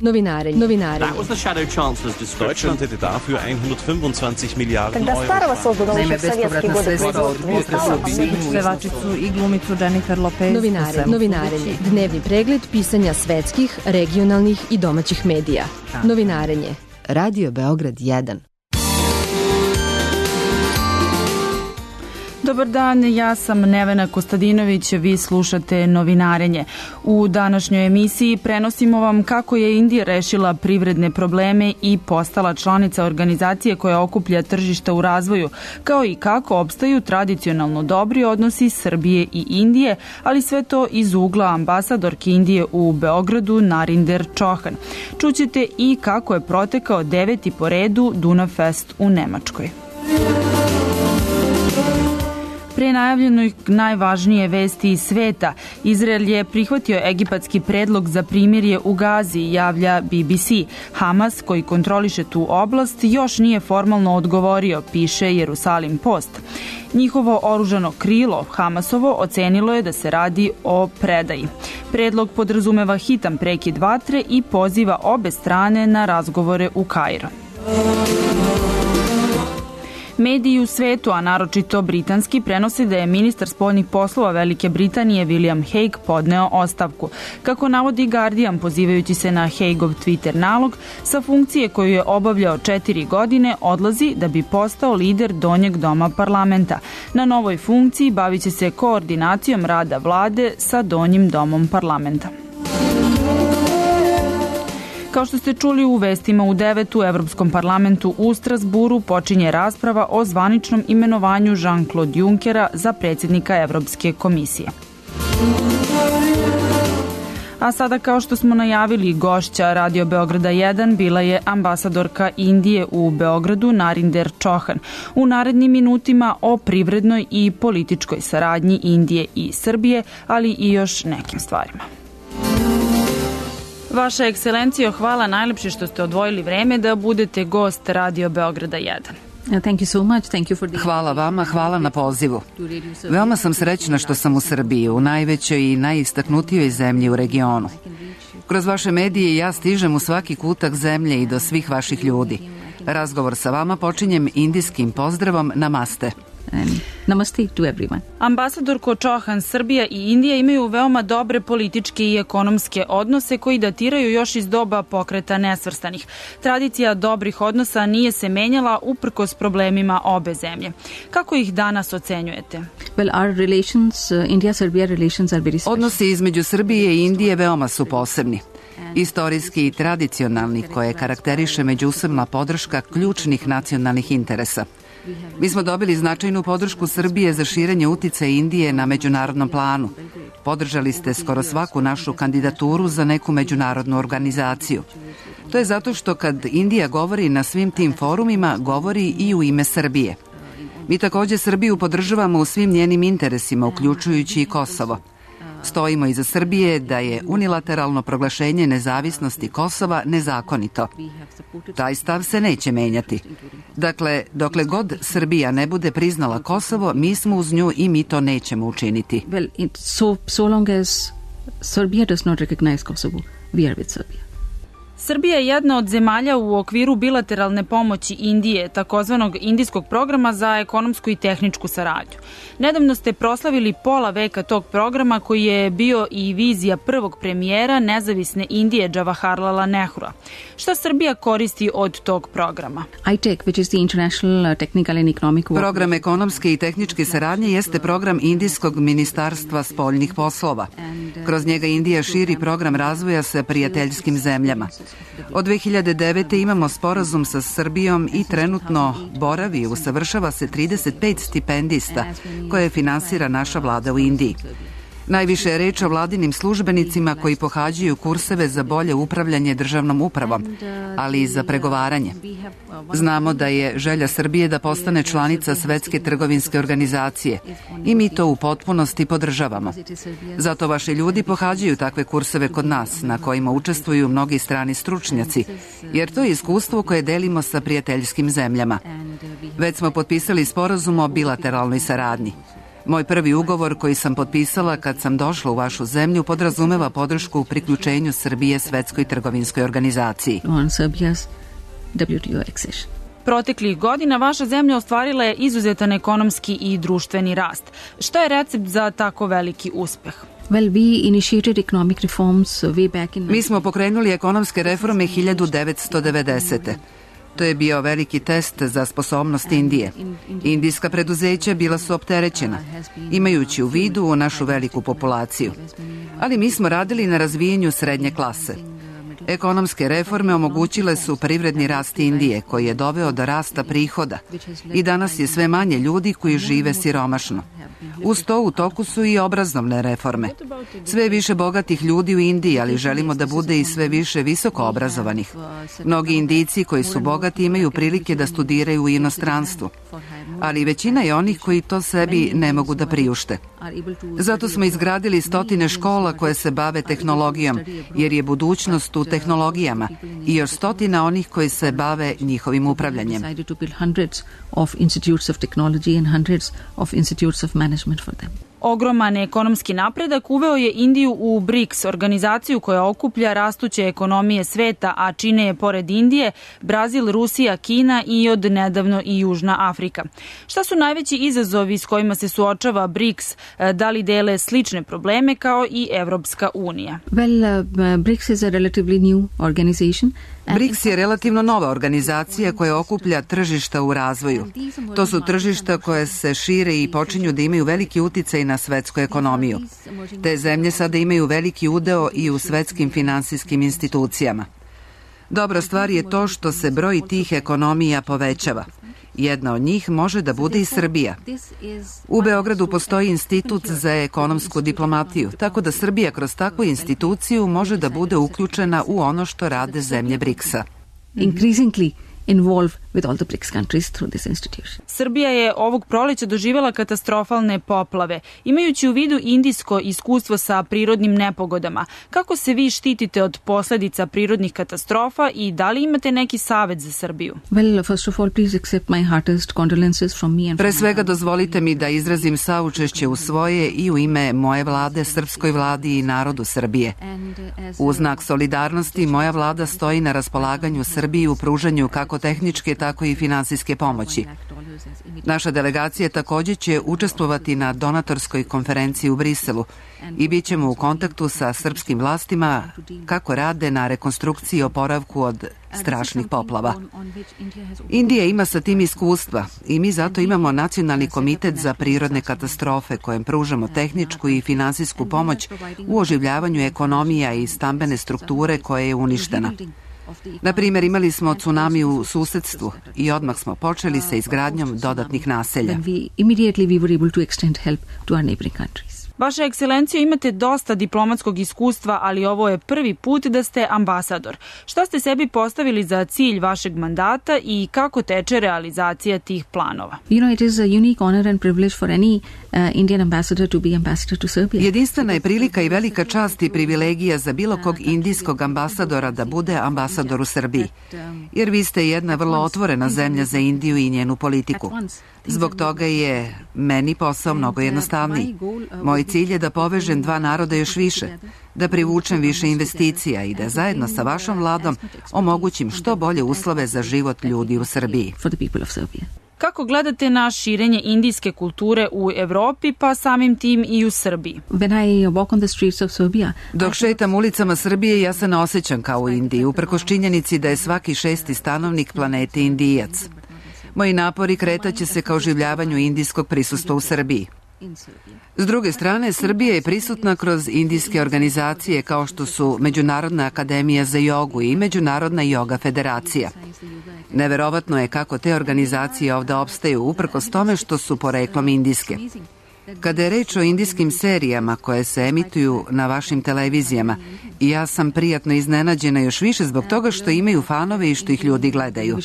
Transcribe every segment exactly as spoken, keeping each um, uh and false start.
Novinarenje. Novinarenje. That was the Shadow Chancellor's description. Deutschland hätte dafür hundertfünfundzwanzig Miliarden Euro. Naime, bespovratna sredstva od budžeta pevačicu i glumicu Jennifer Lopez. Novinarenje. Novinarenje. Dnevni pregled pisanja svetskih, regionalnih i domaćih medija. Novinarenje. Radio Beograd jedan. Dobar dan, ja sam Nevena Kostadinović, vi slušate Novinarenje. U današnjoj emisiji prenosimo vam kako je Indija rešila privredne probleme i postala članica organizacije koja okuplja tržišta u razvoju, kao i kako opstaju tradicionalno dobri odnosi Srbije i Indije, ali sve to iz ugla ambasadorke Indije u Beogradu Narinder Chauhan. Čućete i kako je protekao deveti po redu Dunav Fest u Nemačkoj. Pre najavljenoj najvažnije vesti iz sveta, Izrael je prihvatio egipatski predlog za primirje u Gazi, javlja B B C. Hamas, koji kontroliše tu oblast, još nije formalno odgovorio, piše Jerusalim Post. Njihovo oružano krilo, Hamasovo, ocenilo je da se radi o predaji. Predlog podrazumeva hitan prekid vatre i poziva obe strane na razgovore u Kairo. Mediji u svetu, a naročito britanski, prenose da je ministar spoljnih poslova Velike Britanije William Hague podneo ostavku. Kako navodi Guardian, pozivajući se na Hagueov Twitter nalog, sa funkcije koju je obavljao četiri godine odlazi da bi postao lider donjeg doma parlamenta. Na novoj funkciji bavit će se koordinacijom rada vlade sa donjim domom parlamenta. Kao što ste čuli u vestima u devet u Evropskom parlamentu u Strasburu počinje rasprava o zvaničnom imenovanju Jean-Claude Junckera za predsjednika Evropske komisije. A sada, kao što smo najavili, gošća Radio Beograda jedan bila je ambasadorka Indije u Beogradu Narinder Chauhan. U narednim minutima o privrednoj i političkoj saradnji Indije i Srbije, ali i još nekim stvarima. Vaša ekscelencijo, hvala najlepše što ste odvojili vreme da budete gost Radio Beograda jedan. Hvala vama, hvala na pozivu. Veoma sam srećna što sam u Srbiji, u najvećoj i najistaknutijoj zemlji u regionu. Kroz vaše medije ja stižem u svaki kutak zemlje i do svih vaših ljudi. Razgovor sa vama počinjem indijskim pozdravom Namaste. Namaste to everyone. Ambasadorko Chauhan, Srbija i Indija imaju veoma dobre političke i ekonomske odnose koji datiraju još iz doba pokreta nesvrstanih. Tradicija dobrih odnosa nije se menjala uprkos problemima obe zemlje. Kako ih danas ocenjujete? Well, our relations, uh, India-Serbia relations are very special. Odnosi između Srbije i Indije veoma su posebni. Istorijski i tradicionalni, koje karakteriše međusobna podrška ključnih nacionalnih interesa. Mi smo dobili značajnu podršku Srbije za širenje uticaja Indije na međunarodnom planu. Podržali ste skoro svaku našu kandidaturu za neku međunarodnu organizaciju. To je zato što kad Indija govori na svim tim forumima, govori i u ime Srbije. Mi također Srbiju podržavamo u svim njenim interesima, uključujući i Kosovo. Stojimo iza Srbije da je unilateralno proglašenje nezavisnosti Kosova nezakonito. Taj stav se neće menjati. Dakle, dokle god Srbija ne bude priznala Kosovo, mi smo uz nju i mi to nećemo učiniti. Well, it, so, so long as Serbia does not recognize Kosovo, we are with Serbia. Srbija je jedna od zemalja u okviru bilateralne pomoći Indije, takozvanog indijskog programa za ekonomsku i tehničku saradnju. Nedavno ste proslavili pola veka tog programa koji je bio i vizija prvog premijera nezavisne Indije Džavaharlala Nehrua. Šta Srbija koristi od tog programa? I T E C, which is the International Technical and Economic Work. Program ekonomske i tehničke saradnje jeste program Indijskog ministarstva spoljnih poslova. Kroz njega Indija širi program razvoja sa prijateljskim zemljama. Od dve hiljade devete. imamo sporazum sa Srbijom i trenutno boravi i usavršava se trideset pet stipendista koje finansira naša vlada u Indiji. Najviše je reč o vladinim službenicima koji pohađaju kurseve za bolje upravljanje državnom upravom, ali i za pregovaranje. Znamo da je želja Srbije da postane članica Svetske trgovinske organizacije i mi to u potpunosti podržavamo. Zato vaši ljudi pohađaju takve kurseve kod nas, na kojima učestvuju mnogi strani stručnjaci, jer to je iskustvo koje delimo sa prijateljskim zemljama. Već smo potpisali sporazum o bilateralnoj saradnji. Moj prvi ugovor koji sam potpisala kad sam došla u vašu zemlju podrazumeva podršku u priključenju Srbije Svetskoj trgovinskoj organizaciji. Proteklih godina vaša zemlja ostvarila je izuzetan ekonomski i društveni rast. Šta je recept za tako veliki uspeh? Mi smo pokrenuli ekonomske reforme hiljadu devetsto devedesete. To je bio veliki test za sposobnost Indije. Indijska preduzeća bila su opterećena, imajući u vidu našu veliku populaciju. Ali mi smo radili na razvijenju srednje klase. Ekonomske reforme omogućile su privredni rast Indije, koji je doveo do rasta prihoda i danas je sve manje ljudi koji žive siromašno. Uz to u toku su i obrazovne reforme. Sve više bogatih ljudi u Indiji, ali želimo da bude i sve više visoko obrazovanih. Mnogi Indijci koji su bogati imaju prilike da studiraju u inostranstvu, ali većina je onih koji to sebi ne mogu da priušte. Zato smo izgradili stotine škola koje se bave tehnologijom, jer je budućnost u tehnologijama, i još stotina onih koji se bave njihovim upravljanjem. Ogroman ekonomski napredak uveo je Indiju u BRICS, organizaciju koja okuplja rastuće ekonomije sveta, a čine je pored Indije Brazil, Rusija, Kina i od nedavno i Južna Afrika. Šta su najveći izazovi s kojima se suočava BRICS? Da li dele slične probleme kao i Evropska unija? Well, uh, BRICS is a relatively new organization. BRICS je relativno nova organizacija koja okuplja tržišta u razvoju. To su tržišta koje se šire i počinju da imaju veliki uticaj na svetsku ekonomiju. Te zemlje sada imaju veliki udeo i u svetskim finansijskim institucijama. Dobra stvar je to što se broj tih ekonomija povećava. Jedna od njih može da bude i Srbija. U Beogradu postoji institut za ekonomsku diplomatiju, tako da Srbija kroz takvu instituciju može da bude uključena u ono što rade zemlje BRICS-a. Increasingly involve with all the BRICS countries through this institution. Srbija je ovog proleća doživjela katastrofalne poplave. Imajući u vidu indijsko iskustvo sa prirodnim nepogodama, kako se vi štitite od posledica prirodnih katastrofa i da li imate neki savet za Srbiju? Well, first of all, please accept my heartiest condolences from me and Pre svega dozvolite mi da izrazim saučešće u svoje i u ime moje vlade, srpskoj vladi i narodu Srbije. U znak solidarnosti moja vlada stoji na raspolaganju Srbiji u pružanju kako tehničke, tako i finansijske pomoći. Naša delegacija također će učestvovati na donatorskoj konferenciji u Briselu i bit ćemo u kontaktu sa srpskim vlastima kako rade na rekonstrukciji i oporavku od strašnih poplava. Indija ima sa tim iskustva i mi zato imamo Nacionalni komitet za prirodne katastrofe kojem pružamo tehničku i finansijsku pomoć u oživljavanju ekonomija i stambene strukture koja je uništena. Na primjer, imali smo tsunami u susedstvu i odmah smo počeli sa izgradnjom dodatnih naselja. Vaša ekscelencijo, imate dosta diplomatskog iskustva, ali ovo je prvi put da ste ambasador. Šta ste sebi postavili za cilj vašeg mandata i kako teče realizacija tih planova? You know, it is a unique honor and privilege for any uh, Indian ambassador to be ambassador to Serbia. Jedinstvena je prilika i velika čast i privilegija za bilo kog indijskog ambasadora da bude ambasador u Srbiji, jer vi ste jedna vrlo otvorena zemlja za Indiju i njenu politiku. Zbog toga je meni posao mnogo jednostavniji. Moj cilj je da povežem dva naroda još više, da privučem više investicija i da zajedno sa vašom vladom omogućim što bolje uslove za život ljudi u Srbiji. Kako gledate na širenje indijske kulture u Evropi, pa samim tim i u Srbiji? Dok šetam ulicama Srbije, ja se ne osjećam kao u Indiji, uprkos činjenici da je svaki šesti stanovnik planete Indijac. Moji napori kretaće se ka oživljavanju indijskog prisustva u Srbiji. S druge strane, Srbija je prisutna kroz indijske organizacije kao što su Međunarodna akademija za jogu i Međunarodna joga federacija. Neverovatno je kako te organizacije ovde opstaju, uprkos tome što su poreklom indijske. Kada je reč o indijskim serijama koje se emituju na vašim televizijama, ja sam prijatno iznenađena još više zbog toga što imaju fanove i što ih ljudi gledaju.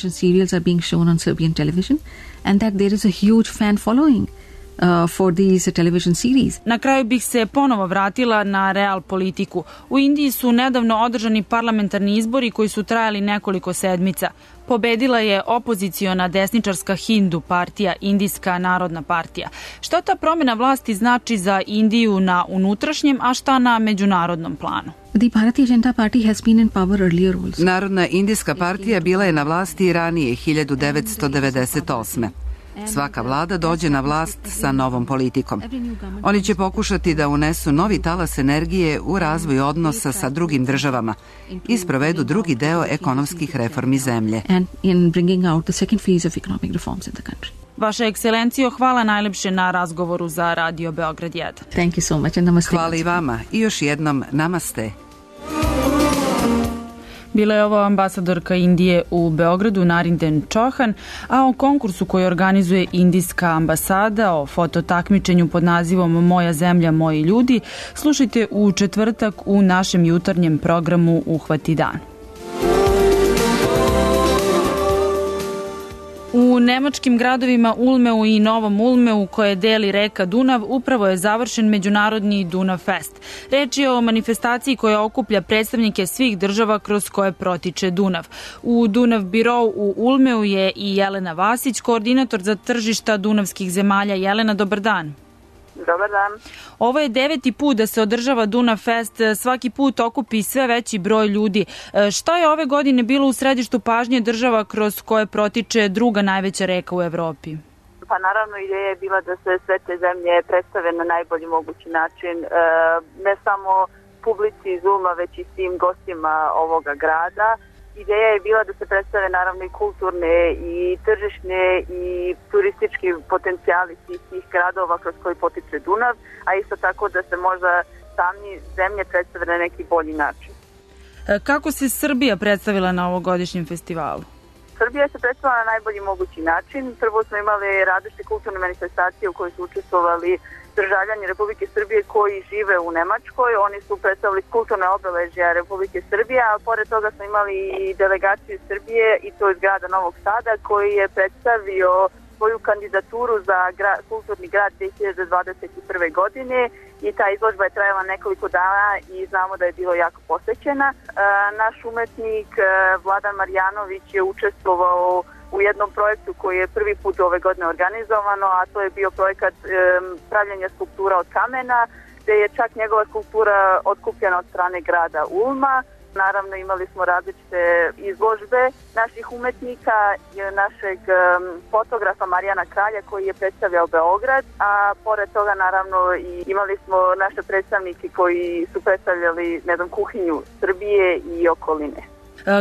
uh, for these television series. Na kraju bih se ponovo vratila na real politiku. U Indiji su nedavno održani parlamentarni izbori koji su trajali nekoliko sedmica. Pobedila je opoziciona desničarska Hindu partija, Indijska narodna partija. Šta ta promjena vlasti znači za Indiju na unutrašnjem, a šta na međunarodnom planu? The Bharatiya Janata Party has been in power earlier also. Narodna indijska partija bila je na vlasti i ranije hiljadu devetsto devedeset osme. Svaka vlada dođe na vlast sa novom politikom. Oni će pokušati da unesu novi talas energije u razvoj odnosa sa drugim državama i sprovedu drugi deo ekonomskih reformi zemlje. And in bringing out the second phase of economic reforms in the country. Vaša ekscelencijo, hvala najlepše na razgovoru za Radio Beograd jedan. Thank you so much and namaste. Hvala i vama i još jednom namaste. Bila je ovo ambasadorka Indije u Beogradu, Narinden Chauhan, a o konkursu koji organizuje Indijska ambasada, o fototakmičenju pod nazivom Moja zemlja, moji ljudi, slušajte u četvrtak u našem jutarnjem programu Uhvati dan. U nemačkim gradovima Ulmeu i Novom Ulmeu, koje deli reka Dunav, upravo je završen Međunarodni Dunav Fest. Reč je o manifestaciji koja okuplja predstavnike svih država kroz koje protiče Dunav. U Dunav Birou u Ulmeu je i Jelena Vasić, koordinator za tržišta dunavskih zemalja. Jelena, dobar dan. Dobar dan. Ovo je deveti put da se održava Dunav Fest, svaki put okupi sve veći broj ljudi. Šta je ove godine bilo u središtu pažnje država kroz koje protiče druga najveća reka u Evropi? Pa naravno ideja je bila da se sve te zemlje predstave na najbolji mogući način, ne samo publici iz Ulma, već i svim gostima ovoga grada. Ideja je bila da se predstave naravno i kulturne i tržišne i turistički potencijali svih tih gradova kroz koji potiče Dunav, a isto tako da se možda sami zemlje predstave na neki bolji način. Kako se Srbija predstavila na ovogodišnjem festivalu? Srbija se predstavila na najbolji mogući način. Prvo smo imali različite kulturne manifestacije u kojoj su učestvovali državljani Republike Srbije koji žive u Nemačkoj. Oni su predstavili kulturne obeležja Republike Srbije, a pored toga smo imali i delegaciju Srbije, i to iz grada Novog Sada, koji je predstavio svoju kandidaturu za gra, kulturni grad dve hiljade dvadeset prve. godine i ta izložba je trajala nekoliko dana i znamo da je bilo jako posećena. E, naš umetnik e, Vladan Marjanović je učestvovao u jednom projektu koji je prvi put ove godine organizovano, a to je bio projekat e, pravljenja skulptura od kamena, gde je čak njegova skulptura otkupljena od strane grada Ulma. Naravno imali smo različite izložbe naših umetnika, našeg fotografa Marijana Kralja koji je predstavljao Beograd, a pored toga naravno i imali smo naše predstavnike koji su predstavljali, ne znam, kuhinju Srbije i okoline.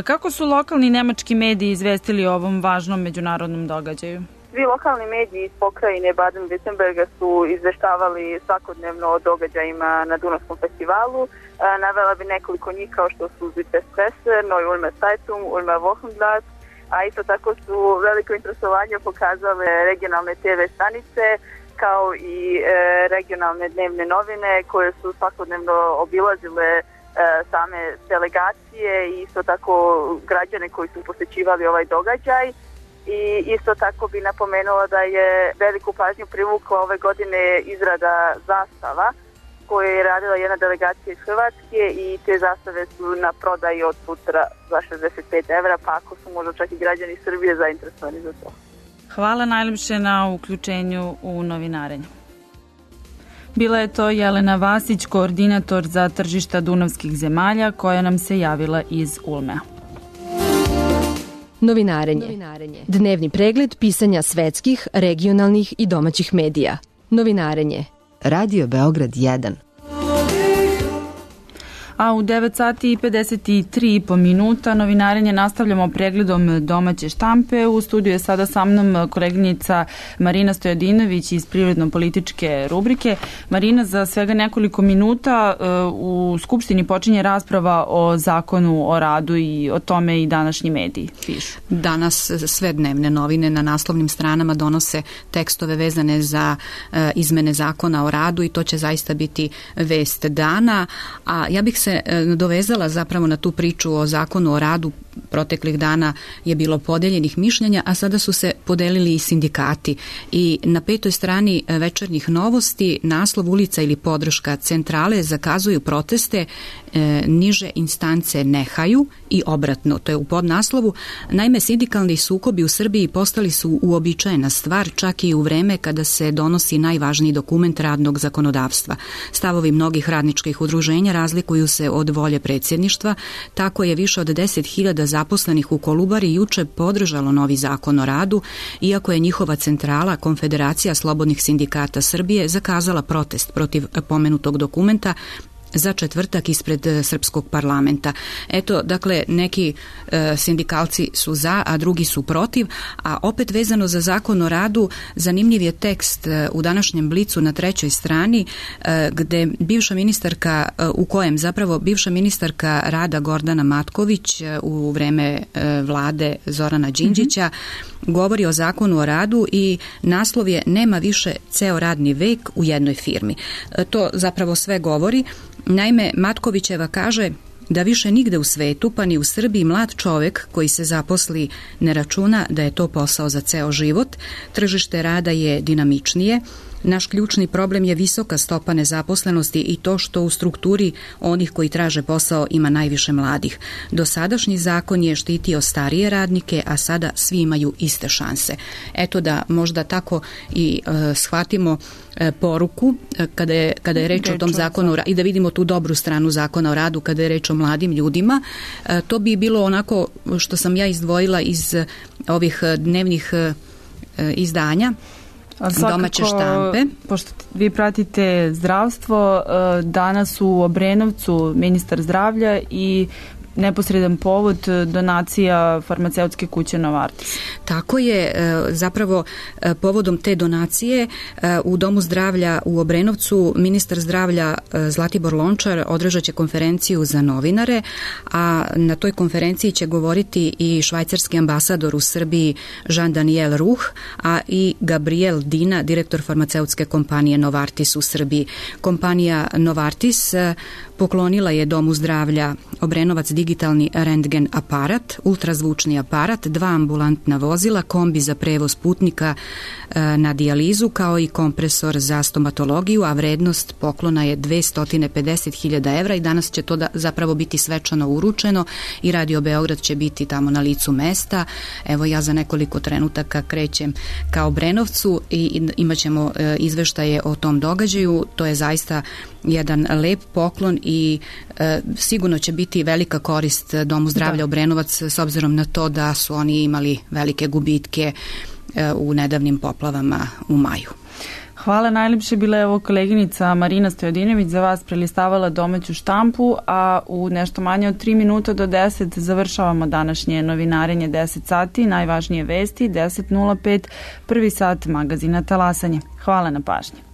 Kako su lokalni nemački mediji izvestili o ovom važnom međunarodnom događaju? Svi lokalni mediji iz pokrajine Baden-Württemberga su izveštavali svakodnevno o događajima na Dunavskom festivalu. Navela bi nekoliko njih kao što su Süddwestpresse, Neue Ulmer Zeitung, Ulmer Wochenblatt, a isto tako su veliko interesovanje pokazale regionalne te ve stanice kao i e, regionalne dnevne novine koje su svakodnevno obilazile e, same delegacije i isto tako građane koji su posećivali ovaj događaj. I isto tako bi napomenula da je veliku pažnju privukla ove godine izrada zastava koje je radila jedna delegacija iz Hrvatske i te zastave su na prodaji od sutra za šezdeset pet evra, pa ako su možda čak i građani Srbije zainteresovani za to. Hvala najljepše na uključenju u novinarenje. Bila je to Jelena Vasić, koordinator za tržišta dunavskih zemalja, koja nam se javila iz Ulmea. Novinarenje. Novinarenje. Dnevni pregled pisanja svetskih, regionalnih i domaćih medija. Novinarenje. Radio Beograd jedan. A u devet sati i pedeset tri i po minuta novinarenje nastavljamo pregledom domaće štampe. U studiju je sada sa mnom koleginica Marina Stojadinović iz privredno-političke rubrike. Marina, za svega nekoliko minuta u Skupštini počinje rasprava o zakonu o radu i o tome i današnji mediji pišu. Danas sve dnevne novine na naslovnim stranama donose tekstove vezane za izmene zakona o radu i to će zaista biti vest dana. A ja bih se dovezala zapravo na tu priču o zakonu o radu proteklih dana je bilo podeljenih mišljenja, a sada su se podelili i sindikati. I na petoj strani Večernjih novosti naslov ulica ili podrška centrale zakazuju proteste, e, niže instance nehaju i obratno, to je u podnaslovu. Naime, sindikalni sukobi u Srbiji postali su uobičajena stvar, čak i u vreme kada se donosi najvažniji dokument radnog zakonodavstva. Stavovi mnogih radničkih udruženja razlikuju se od volje predsjedništva, tako je više od deset hiljada zaposlenih u Kolubari juče podržalo novi zakon o radu, iako je njihova centrala, Konfederacija slobodnih sindikata Srbije, zakazala protest protiv pomenutog dokumenta za četvrtak ispred srpskog parlamenta. Eto, dakle, neki e, sindikalci su za, a drugi su protiv, a opet vezano za zakon o radu, zanimljiv je tekst e, u današnjem Blicu na trećoj strani, e, gde bivša ministarka, e, u kojem zapravo bivša ministarka rada Gordana Matković e, u vreme e, vlade Zorana Đinđića mm-hmm. govori o zakonu o radu i naslov je "Nema više ceo radni vek u jednoj firmi". E, to zapravo sve govori. Naime, Matkovićeva kaže da više nigde u svetu, pa ni u Srbiji, mlad čovek koji se zaposli ne računa da je to posao za ceo život. Tržište rada je dinamičnije. Naš ključni problem je visoka stopa nezaposlenosti i to što u strukturi onih koji traže posao ima najviše mladih. Dosadašnji zakon je štitio starije radnike, a sada svi imaju iste šanse. Eto da možda tako i e, shvatimo e, poruku e, kada je, kada je reč o tom zakonu i da vidimo tu dobru stranu zakona o radu kada je reč o mladim ljudima. E, to bi bilo onako što sam ja izdvojila iz ovih dnevnih e, izdanja. Svakako, domaće štampe. Pošto vi pratite zdravstvo, danas u Obrenovcu ministar zdravlja i neposredan povod donacija farmaceutske kuće Novartis. Tako je, zapravo povodom te donacije u Domu zdravlja u Obrenovcu ministar zdravlja Zlatibor Lončar održat će konferenciju za novinare, a na toj konferenciji će govoriti i švajcarski ambasador u Srbiji Jean-Daniel Ruh, a i Gabriel Dina, direktor farmaceutske kompanije Novartis u Srbiji. Kompanija Novartis poklonila je Domu zdravlja Obrenovac digitalni rentgen aparat, ultrazvučni aparat, dva ambulantna vozila, kombi za prevoz putnika e, na dijalizu, kao i kompresor za stomatologiju, a vrednost poklona je dvesta pedeset hiljada evra i danas će to da zapravo biti svečano uručeno i Radio Beograd će biti tamo na licu mesta. Evo, ja za nekoliko trenutaka krećem ka Obrenovcu i imat ćemo e, izveštaje o tom događaju. To je zaista jedan lep poklon i e, sigurno će biti velika korist Domu zdravlja Obrenovac s obzirom na to da su oni imali velike gubitke e, u nedavnim poplavama u maju. Hvala, najljepše bila je ovo koleginica Marina Stojadinović za vas prelistavala domaću štampu, a u nešto manje od tri minuta do deset završavamo današnje novinarenje deset sati, najvažnije vesti deset nula pet, prvi sat magazina Talasanje. Hvala na pažnji.